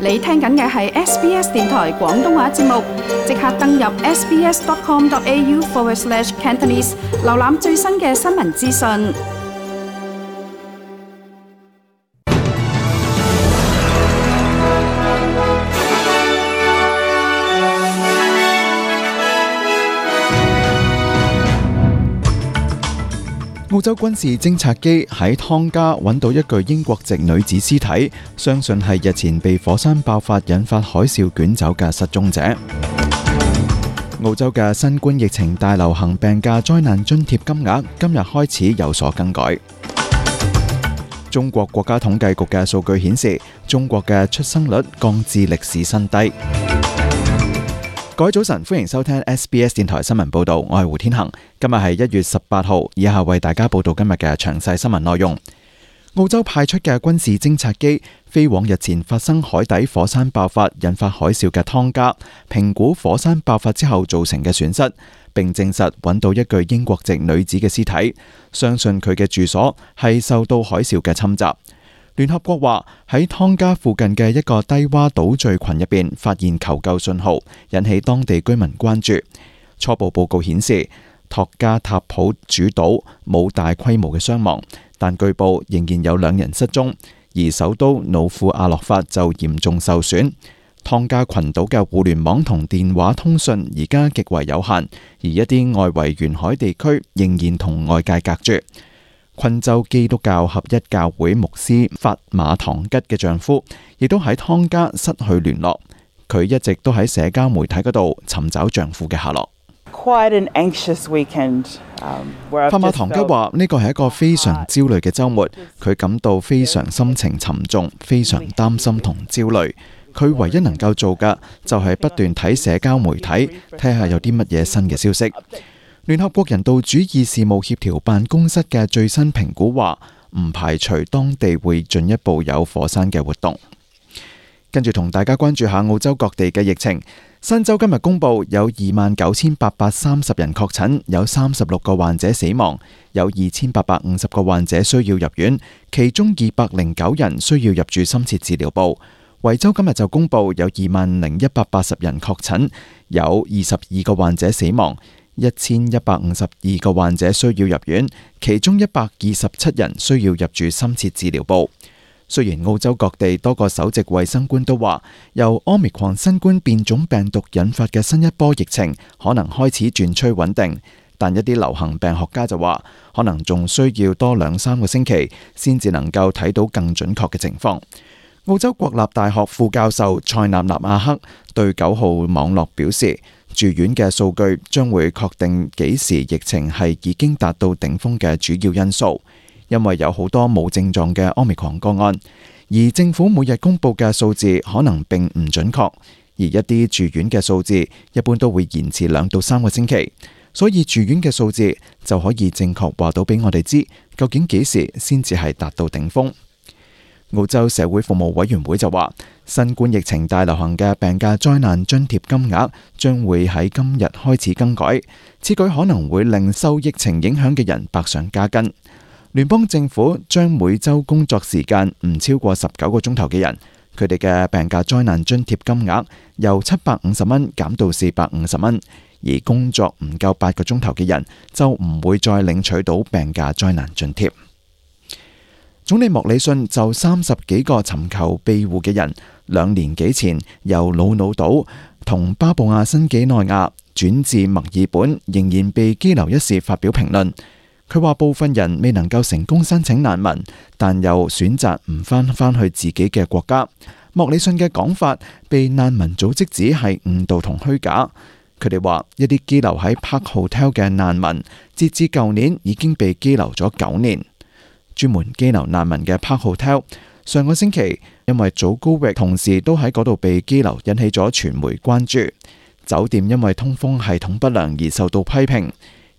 你聽緊嘅係 SBS 電台廣東話節目，即刻登入 sbs.com.au/Cantonese 瀏覽最新嘅新聞資訊。澳洲軍事偵察機喺湯加揾到一具英國籍女子屍體，相信係日前被火山爆發引發海嘯捲走嘅失蹤者。澳洲嘅新冠疫情大流行病假災難津貼金額今日開始有所更改。中國國家統計局嘅數據顯示，中國嘅出生率降至歷史新低。各位早晨，歡迎收聽 SBS 電台新聞報道，我係胡天恒。今日係1月18號，以下為大家報道今日嘅詳細新聞內容。澳洲派出嘅軍事偵察機飛往日前發生海底火山爆發引發海嘯嘅湯加，評估火山爆發之後造成嘅損失，並證實揾到一具英國籍女子嘅屍體，相信佢嘅住所係受到海嘯嘅侵襲。聯合國話喺湯加附近嘅一個低洼島嶼群入邊發現求救信號，引起當地居民關注。初步報告顯示，托加塔普主島冇大規模嘅傷亡，但據報仍然有2人失蹤，而首都努庫阿洛法就嚴重受損。湯加群島嘅互聯網同電話通訊而家極為有限，而一啲外圍沿海地區仍然同外界隔絕。昆州基督教合一教會牧師法馬唐吉嘅丈夫亦都喺湯加失去聯絡，佢一直都喺社交媒體嗰度尋找丈夫嘅下落。法馬唐吉話呢個係一個非常焦慮嘅週末，佢感到非常心情沉重，非常擔心同焦慮。佢唯一能夠做嘅就係不斷睇社交媒體，睇下有啲乜嘢新嘅消息。聯合國人道主義事務協調辦公室嘅最新評估話，唔排除當地會進一步有火山嘅活動。跟住同大家關注下澳洲各地嘅疫情。新州今日公布有29,830人確診，有36個患者死亡，有2,850個患者需要入院，其中209人需要入住深切治療部。維州今日就公布有20,180人確診，有22個患者死亡，1,152個患者需要入院，其中127人需要入住深切治療部。雖然澳洲各地多個首席衛生官都話，由 Omicron 新冠變種病毒引發嘅新一波疫情可能開始轉趨穩定，但一啲流行病學家就話，可能仲需要多2-3個星期先至能夠睇到更準確嘅情況。澳洲國立大學副教授塞納納亞克對9號網絡表示，住院嘅數據將會確定幾時疫情係已經達到頂峰嘅主要因素，因為有好多冇症狀嘅 Omicron 個案，而政府每日公布嘅數字可能並唔準確，而一啲住院嘅數字一般都會延遲2到3個星期，所以住院嘅數字就可以正確話到俾我哋知，究竟幾時先至係達到頂峰。澳洲社會服務委員會就話，新冠疫情大流行嘅病假災難津貼金額將會喺今日開始更改，此舉可能會令受疫情影響嘅人百上加斤。聯邦政府將每週工作時間唔超過19個鐘頭嘅人，佢哋嘅病假災難津貼金額由750蚊減到450蚊，而工作唔夠8個鐘頭嘅人就唔會再領取到病假災難津貼。總理莫里遜就30幾個尋求庇護嘅人2年幾前由魯魯島同巴布亞新幾內亞轉至墨爾本，仍然被羈留一事發表評論。佢話部分人未能夠成功申請難民，但又選擇唔返去自己嘅國家。莫里遜嘅講法被難民組織指係誤導同虛假。佢哋話一啲羈留喺 Park Hotel 嘅難民，截至舊年已經被羈留咗9年。專門羈留難民嘅 Park Hotel 上個星期因為祖高域同時都喺嗰度被羈留，引起咗傳媒關注。酒店因為通風系統不良而受到批評，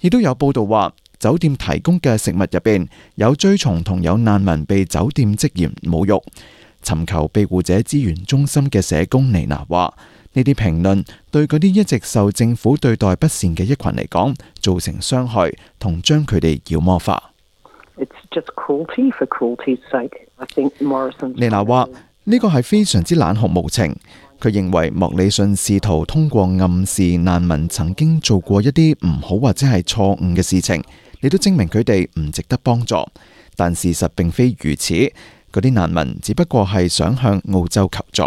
亦都有報道話酒店提供嘅食物入邊有蛆蟲同有難民被酒店職員侮辱。尋求庇護者資源中心嘅社工尼娜話，呢啲評論對嗰啲一直受政府對待不善嘅一群嚟講造成傷害，同將佢哋妖魔化。It's just cruelty for cruelty's sake. I think Morrison. 尼娜話呢個係非常之冷酷無情。佢認為莫里遜試圖通過暗示難民曾經做過一啲唔好或者係錯誤嘅事情，嚟到證明佢哋唔值得幫助。但事實並非如此，嗰啲難民只不過係想向澳洲求助。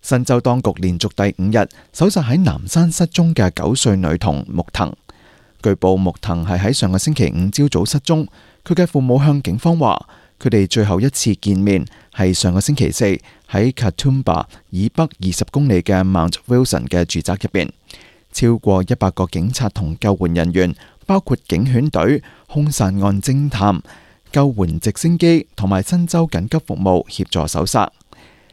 新州當局連續第5日搜查喺南山失蹤嘅9歲女童木藤。據報木藤係喺上個星期5朝早失蹤，佢嘅父母向警方話，佢哋最後一次見面係上個星期4喺 Katoomba 以北20公里嘅 Mount Wilson 嘅住宅入邊。超過100個警察同救援人員，包括警犬隊、兇殺案偵探、救援直升機同埋新州緊急服務協助搜查。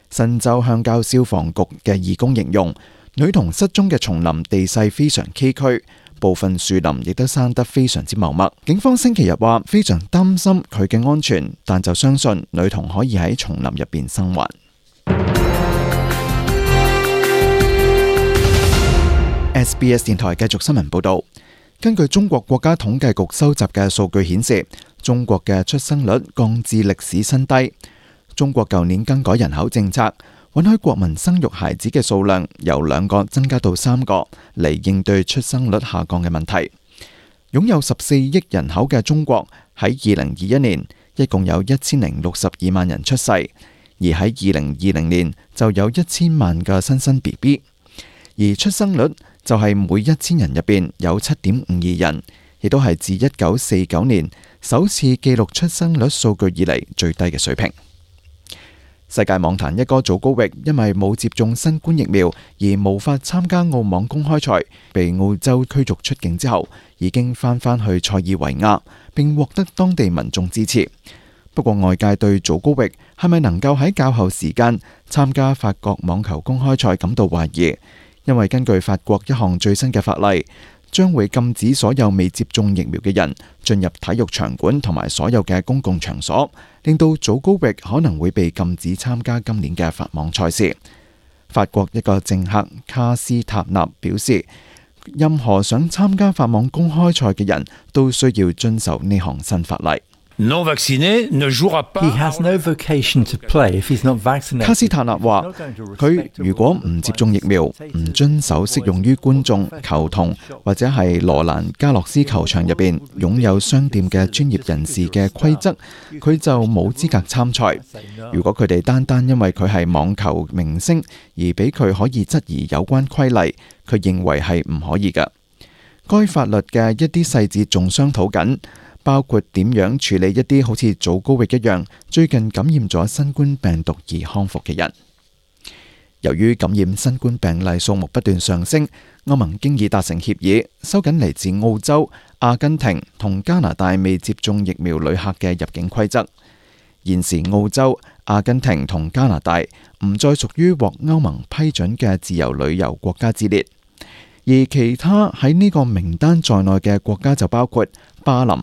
新州鄉郊消防局嘅義工形容，女童失蹤嘅叢林地勢非常崎嶇，部分樹林亦都生得非常之茂密。警方星期日話非常擔心佢嘅安全，但就相信女童可以喺叢林入邊生還。SBS 電台繼續新聞報道。根據中國國家統計局收集嘅數據顯示，中國嘅出生率降至歷史新低。中國舊年更改人口政策，允許國民生育孩子嘅數量由2個增加到3個，嚟應對出生率下降嘅問題。擁有14億人口嘅中國喺2021年一共有1062萬人出世，而喺2020年就有1000萬個新生 BB， 而出生率就係每1000人入邊有 7.52 人，亦都係自1949年首次記錄出生率數據以嚟最低嘅水平。世界網壇一哥祖高域因為冇接種新冠疫苗而無法參加澳網公開賽，被澳洲驅逐出境之後，已經返去塞爾維亞，並獲得當地民眾支持。不過外界對祖高域係咪能夠喺較後時間參加法國網球公開賽感到懷疑，因為根據法國一項最新嘅法例，將會禁止所有未接種疫苗嘅人進入體育場館同埋所有嘅公共場所，令到祖高域可能會被禁止參加今年嘅法網賽事。法國一個政客卡斯塔納表示，任何想參加法網公開賽嘅人都需要遵守呢項新法例。卡斯塔納話：佢如果唔接種疫苗，唔遵守適用於觀眾、球童或者係羅蘭加洛斯球場入邊擁有商店嘅專業人士嘅規則，佢就冇資格參賽。如果佢哋單單因為佢係網球明星而俾佢可以質疑有關規例，佢認為係唔可以㗎。該法律嘅一啲細節仲商討緊，包括點樣處理一啲好似祖高域一樣最近感染咗新冠病毒而康復嘅人。由於感染新冠病例數目不斷上升，歐盟經已達成協議，收緊嚟自澳洲、阿根廷同加拿大未接種疫苗旅客嘅入境規則。現時澳洲、阿根廷同加拿大唔再屬於獲歐盟批准嘅自由旅遊國家之列，而其他喺呢個名單在內嘅國家就包括巴林、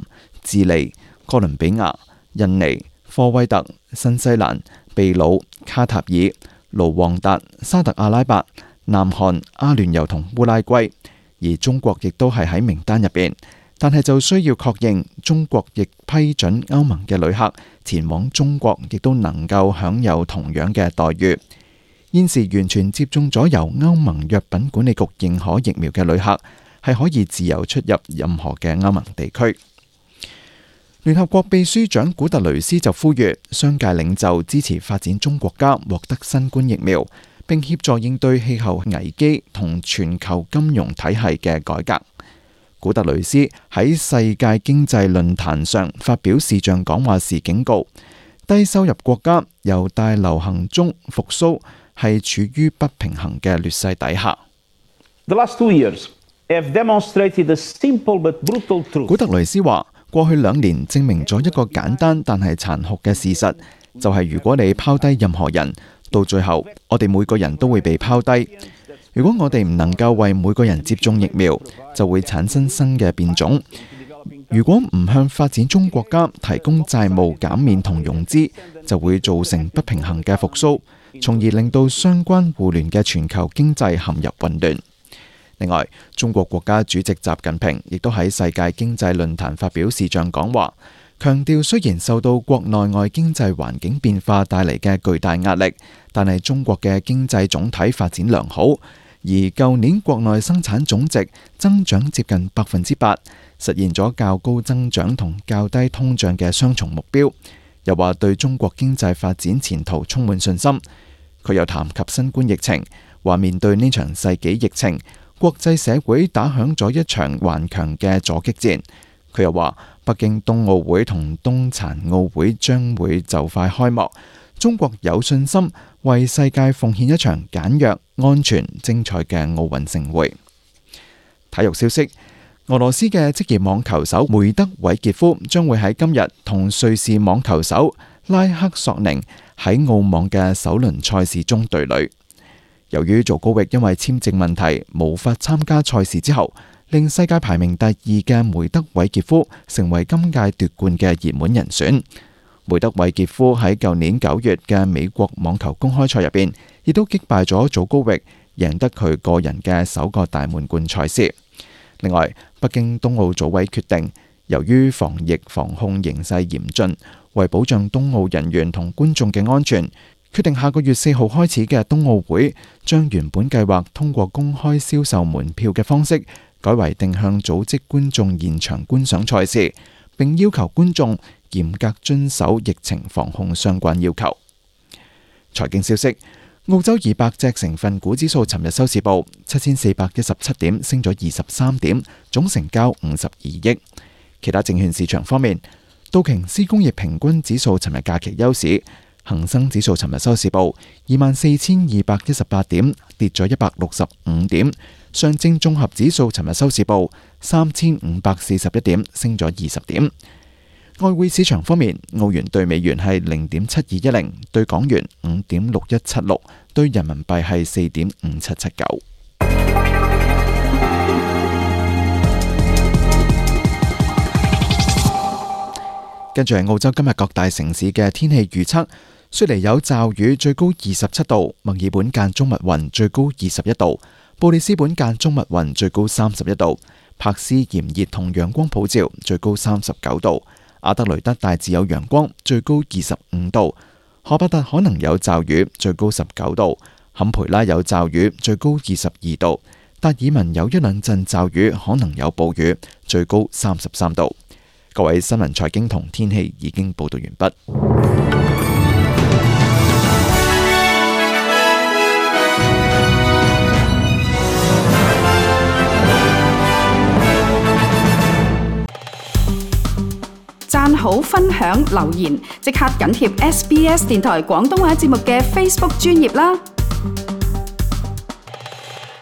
智利、哥倫比亞、印尼、科威特、新西蘭、秘魯、卡塔爾、盧旺達、沙特阿拉伯、南韓、阿聯酋同烏拉圭，而中國亦都係喺名單入邊，但係就需要確認中國亦批准歐盟嘅旅客前往中國，亦都能夠享有同樣嘅待遇。現時完全接種咗由歐盟藥品管理局認可疫苗嘅旅客，係可以自由出入任何嘅歐盟地區。聯合國秘書長古特雷斯就呼籲商界領袖支持發展中國家獲得新冠疫苗，並協助應對氣候危機同全球金融體系嘅改革。古特雷斯喺世界經濟論壇上發表視像講話時警告，低收入國家由大流行中復甦係處於不平衡嘅劣勢底下。古特雷斯話：過去2年證明咗一個簡單但係殘酷嘅事實，就係如果你拋低任何人，到最後我哋每個人都會被拋低。如果我哋唔能夠為每個人接種疫苗，就會產生新嘅變種。如果唔向發展中國家提供債務減免同融資，就會造成不平衡嘅復甦，從而令到相關互聯嘅全球經濟陷入混亂。另外，中國國家主席習近平亦都喺世界經濟論壇發表視像講話，強調雖然受到國內外經濟環境變化帶嚟嘅巨大壓力，但係中國嘅經濟總體發展良好，而舊年國內生產總值增長接近8%，實現咗較高增長同較低通脹嘅雙重目標。又話對中國經濟發展前途充滿信心。佢又談及新冠疫情，話面對呢場世紀疫情，國際社會打響咗一場頑強嘅阻擊戰。佢又話北京冬奧會同冬殘奧會將會就快開幕，中國有信心為世界奉獻一場簡約、安全、精彩嘅奧運盛會。體育消息，俄羅斯嘅職業網球手梅德韋傑夫將會喺今日同瑞士網球手拉克索寧喺澳網嘅首輪賽事中對壘。由於祖高域因為簽證問題無法參加賽事之後，令世界排名第2嘅梅德韋傑夫成為今屆奪冠嘅熱門人選。梅德韋傑夫喺舊年9月嘅美國網球公開賽入邊，亦都擊敗咗祖高域，贏得佢個人嘅首個大滿貫賽事。另外，北京冬奧組委決定，由於防疫防控形勢嚴峻，為保障冬奧人員同觀眾嘅安全，決定下個月4號開始嘅冬奧會，將原本計劃通過公開銷售門票嘅方式，改為定向組織觀眾現場觀賞賽事，並要求觀眾嚴格遵守疫情防控相關要求。財經消息，澳洲200隻成分股指數尋日收市報7417點，升咗23點，總成交52億。其他證券市場方面，道瓊斯工業平均指數尋日假期休市，恒生指數尋日收市報24,218點，跌咗165點。上證綜合指數尋日收市報3541點，升咗20點。外匯市場方面，澳元兌美元係0.7210，兌港元5.6176，兌人民幣係4.5779。跟住係澳洲今日各大城市嘅天氣預測。雪梨有驟雨，最高27度；墨爾本間中密雲，最高21度；布里斯本間中密雲，最高31度；柏斯炎熱同陽光普照，最高39度；阿德雷德大致有陽光，最高25度；荷伯特可能有驟雨，最高19度；坎培拉有驟雨，最高22度；達爾文有一兩陣驟雨，可能有暴雨，最高33度。各位新聞、財經同天氣已經報道完畢。讚好、分享、留言，即刻緊貼SBS 電台廣東話節目嘅 Facebook 專頁啦！